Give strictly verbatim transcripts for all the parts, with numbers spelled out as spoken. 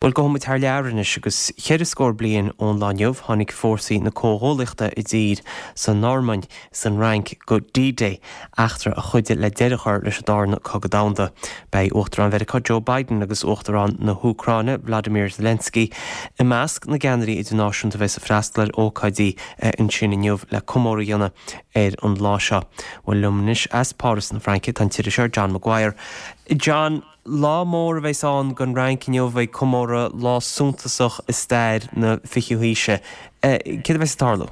Bhuel, gabhfaidh muid thar lear anois agus ceithre scór bliain ón lá inniu tháinig fórsaí na Comhghuaillíochta i dtír sa Normainn san Fhrainc go D-Day, eachtra a chuidigh le deireadh a chur leis an Darna Cogadh Domhanda. Beidh Uachtarán Mheiriceá Joe Biden agus Uachtarán na hÚcráine Vladimir Zelensky i measc na gceannairí idirnáisiúnta a bheas ag freastal ar ócáidí ansin inniu le comóradh a dhéanamh ar an lá seo. Bhuel, liom anois as Páras na Fraince tá an t-iriseoir John Maguire. John, lá mór a bheas ann don Fhrainc inniu ag comóradh lá suntasach i stair na fichiú haoise. Céard a bheas ag tarlú?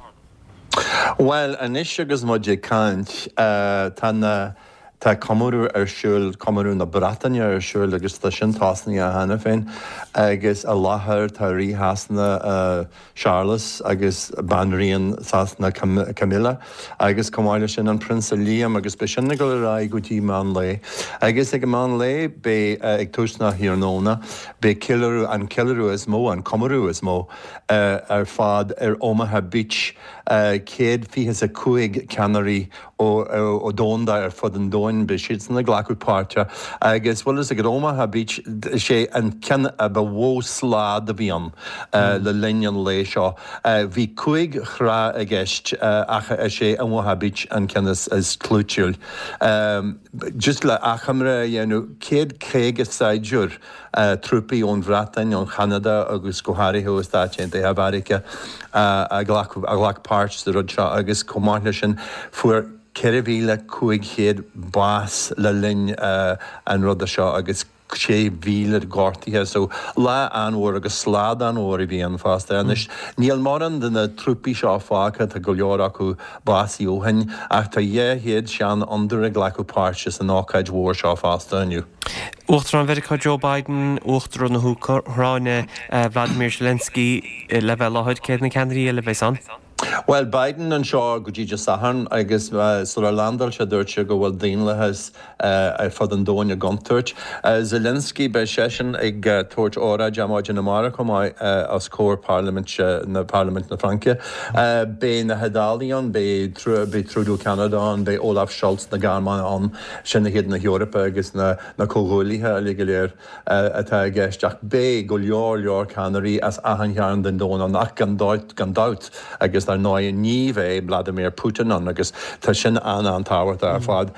Bhuel, anois agus muid ag caint, tá na, tá comóradh ar siúl, comóradh na Breataine ar siúl agus tá sin tosnaithe cheana féin agus i láthair tá Rí Shasana, Séarlas agus Banríon Sasana Camilla agus chomh maith leis sin an Prionsa Liam agus beidh sin ag dul ar aghaidh go dtí meán lae. Agus ag an meán lae beidh, ag tús na hiarnóna, beidh ceiliúradh, an ceiliúradh is mó, an comóradh is mó ar fad ar Omaha Beach, céad fiche is a cúig ceannairí ó domhanda ar fud an domhain, beidh siadsan ag glacadh páirte agus bhfuil fhios agat Omaha Beach, is é an ceann a ba mhó slad a bhí ann le linn an lae seo. Bhí cúig thrá i gceist ach is é Omaha Beach an ceann is clúitiúil. Just le achoimre a dhéanamh, céad caoga saighdiúir, trúpaí ón Bhreatain, ón Cheanada agus go háirithe ó Stáit Aontaithe Mheiriceá a ghlac páirt sa rud seo agus chomh maith leis sin fuair ceithre mhíle cúig chéad bás le linn an ruda seo agus sé mhíle gortaithe. So lá an-mhór agus slad an-mhór a bhí ann fosta. Anois níl mórán de na trúpaí seo fágtha, tá go leor acu básaithe ó shin ach tá dhá chéad seanfhondúir ag glacadh páirte san ócáid mhór seo fosta inniu. Uachtarán Mheiriceá Joe Biden, Uachtarán na hÚcráine Vladimir Zelensky le bheith i láthair. Cé hiad na ceannairí eile a bheas ann? Bhuel, Biden anseo go dtí Dé Sathairn agus sular landáil sé dúirt sé go bhfuil daonlathas ar fud an domhain i gcontúirt. Zelensky, beidh seisean ag tabhairt óráid ar maidin amárach chomh maith os comhair Parlaimint na Parlaimint na Fraince. Beidh na hIodálaigh ann, beidh beidh Trudeau Ceanada ann, beidh Olaf Scholz na Gearmáine ann, sin iad na hEorpa agus na na comhghuaillithe uilig go léir atá i gceist. Ach beidh go leor leor ceannairí as achan chearn den domhan ann ach gan dabht gan dabht agus dar ndóigh ní bheidh Vladimir Putin ann agus tá sin an-an-tábhachtach ar fad.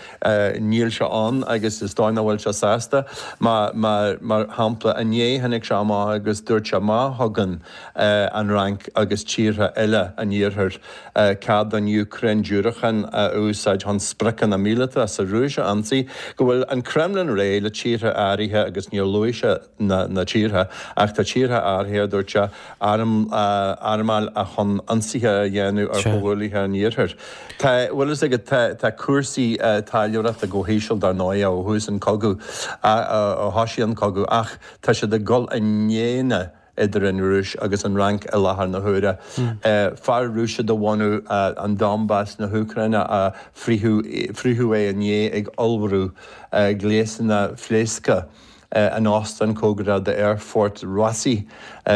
Níl sé ann agus is dóigh nach bhfuil sé sásta. Mar mar shampla inné tháinig sé amach agus dúirt sé má thugann an Fhrainc agus tíortha eile an Iarthair cead don Úcráin diúracáin a úsáid chun spriocanna míleata sa Rúis a ionsaí, go bhfuil an Kremlin réidh le tíortha áirithe agus níor luaigh sé na na tíortha ach tá tíortha áirithe, a dúirt sé, arm armáil a chun ionsaithe a dhéanamh ar chomhghuaillithe an Iarthair. Tá, bhfuil fhios agat, tá tá cúrsaí taidhleoireachta go híseal dar ndóigh ó thús an cogadh, ó thosaigh an cogadh ach tá siad ag dul i ndéine idir an Rúis agus an Fhrainc i láthair na huaire. Fear Rúiseach de bhunadh an Donbas na hÚcráine a frítheadh frítheadh é inné ag ullmhú gléasanna phléasctha in óstán cóngarach d'aerfort Roissy,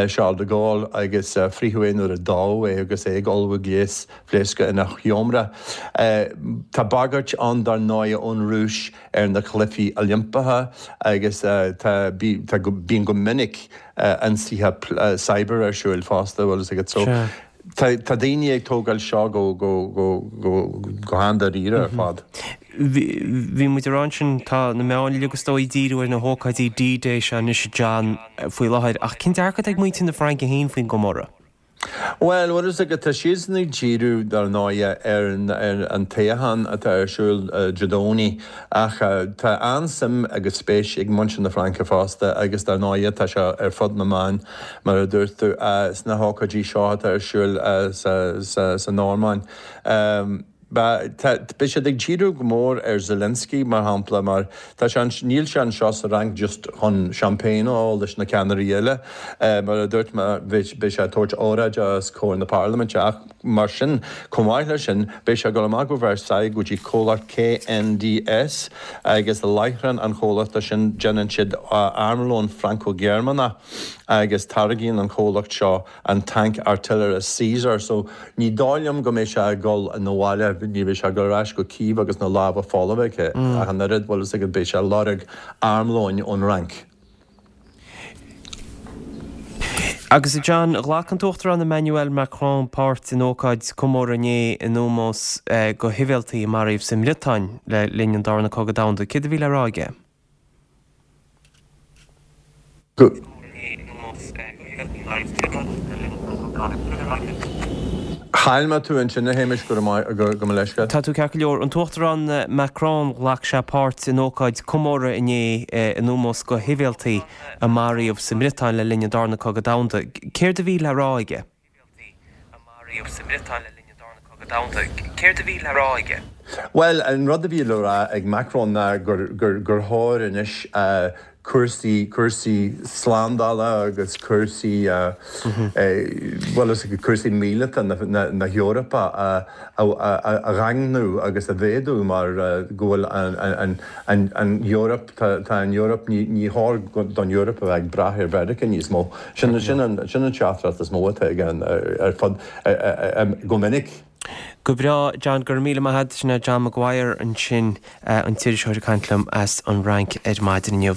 Charles de Gaulle agus frítheadh é nuair a dódh é agus é ag ullmhú gléas phléasctha ina sheomra. Tá bagairt ann dar ndóigh ón Rúis ar na Cluichí Oilimpeacha agus tá tá bíonn go minic ionsaithe cyber ar siúl fosta, bhfuil fhios agat. So tá tá daoine ag tógáil seo go go go go go han-dáiríre ar fad. Bhí muid ag rá ansin, tá na meáin uilig is dóigh ag díriú ar na hócáidí D-Day seo anois, John, faoi láthair, ach cén dearcadh atá ag muintir na Fraince féin faoin gcomóradh? Bhuel, bhfuil fhios agat, tá siadsan ag díriú, dar ndóighe, ar an toghchán atá ar siúl Dé Domhnaigh, ach tá an-suim agus spéis ag muintir na Fraince fosta agus, dar ndóighe, tá sé ar fud na meán, mar a dúirt tú, sna hócáidí seo atá ar siúl sa Normainn. Beidh siad ag díriú go mór ar Zelensky, mar shampla, mar tá sé, níl sé anseo sa Fhrainc just chun champagne a ól leis na ceannairí eile. Mar a dúirt mé, beidh sé ag tabhairt óráide os comhair na parlaiminte ach mar sin, chomh maith leis sin, beidh sé ag dul amach go Versailles go dtí comhlacht KNDS agus láithreán an chomhlachta sin, déanann siad armlón Franco-Ghearmánach agus táirgíonn an comhlacht seo an tanc artillery Caesar so ní dóigh liom go mbeidh sé ag dul 'na bhaile, ní bheidh sé ag dul ar ais go Cív agus na lámha folamh aige ach an oiread, bhfuil fhios agat, beidh sé ag lorg armlóin ón Fhrainc. Agus a John, ghlac an tUachtarán Emmanuel Macron páirt in ócáid comóradh inné in ómós do shibhialtaigh a maraíodh sa mBriotáin le linn an Darna Cogadh Domhanda. Céard a bhí le rá aige? Chaill mé tú ansin, a Shéamais, go raibh mo leithscéal. Tá tú ceart go leor. An tUachtarán Macron, ghlac sé páirt in ócáid comóradh inné in ómós do shibhialtaigh a maraíodh sa mBriotáin le linn an Darna Cogadh Domhanda. Céard a bhí le rá aige? Bhuel, an rud a bhí le rá ag Macron ná gur gur chóir anois cúrsaí, cúrsaí slándála agus cúrsaí, bhuel, is cúrsaí míleata na hEorpa a dhaingniú agus a mhéadú mar go bhfuil an Eoraip, tá an Eoraip, ní chóir don Eoraip a bheith ag brath ar Mheiriceá níos mó. Sin an teachtaireacht is mó atá aige ar fud, go minic. Go breá, John, go raibh míle maith agat. Sin é John Maguire ansin, an t-iriseoir ag caint liom as an Fhrainc ar maidin inniu.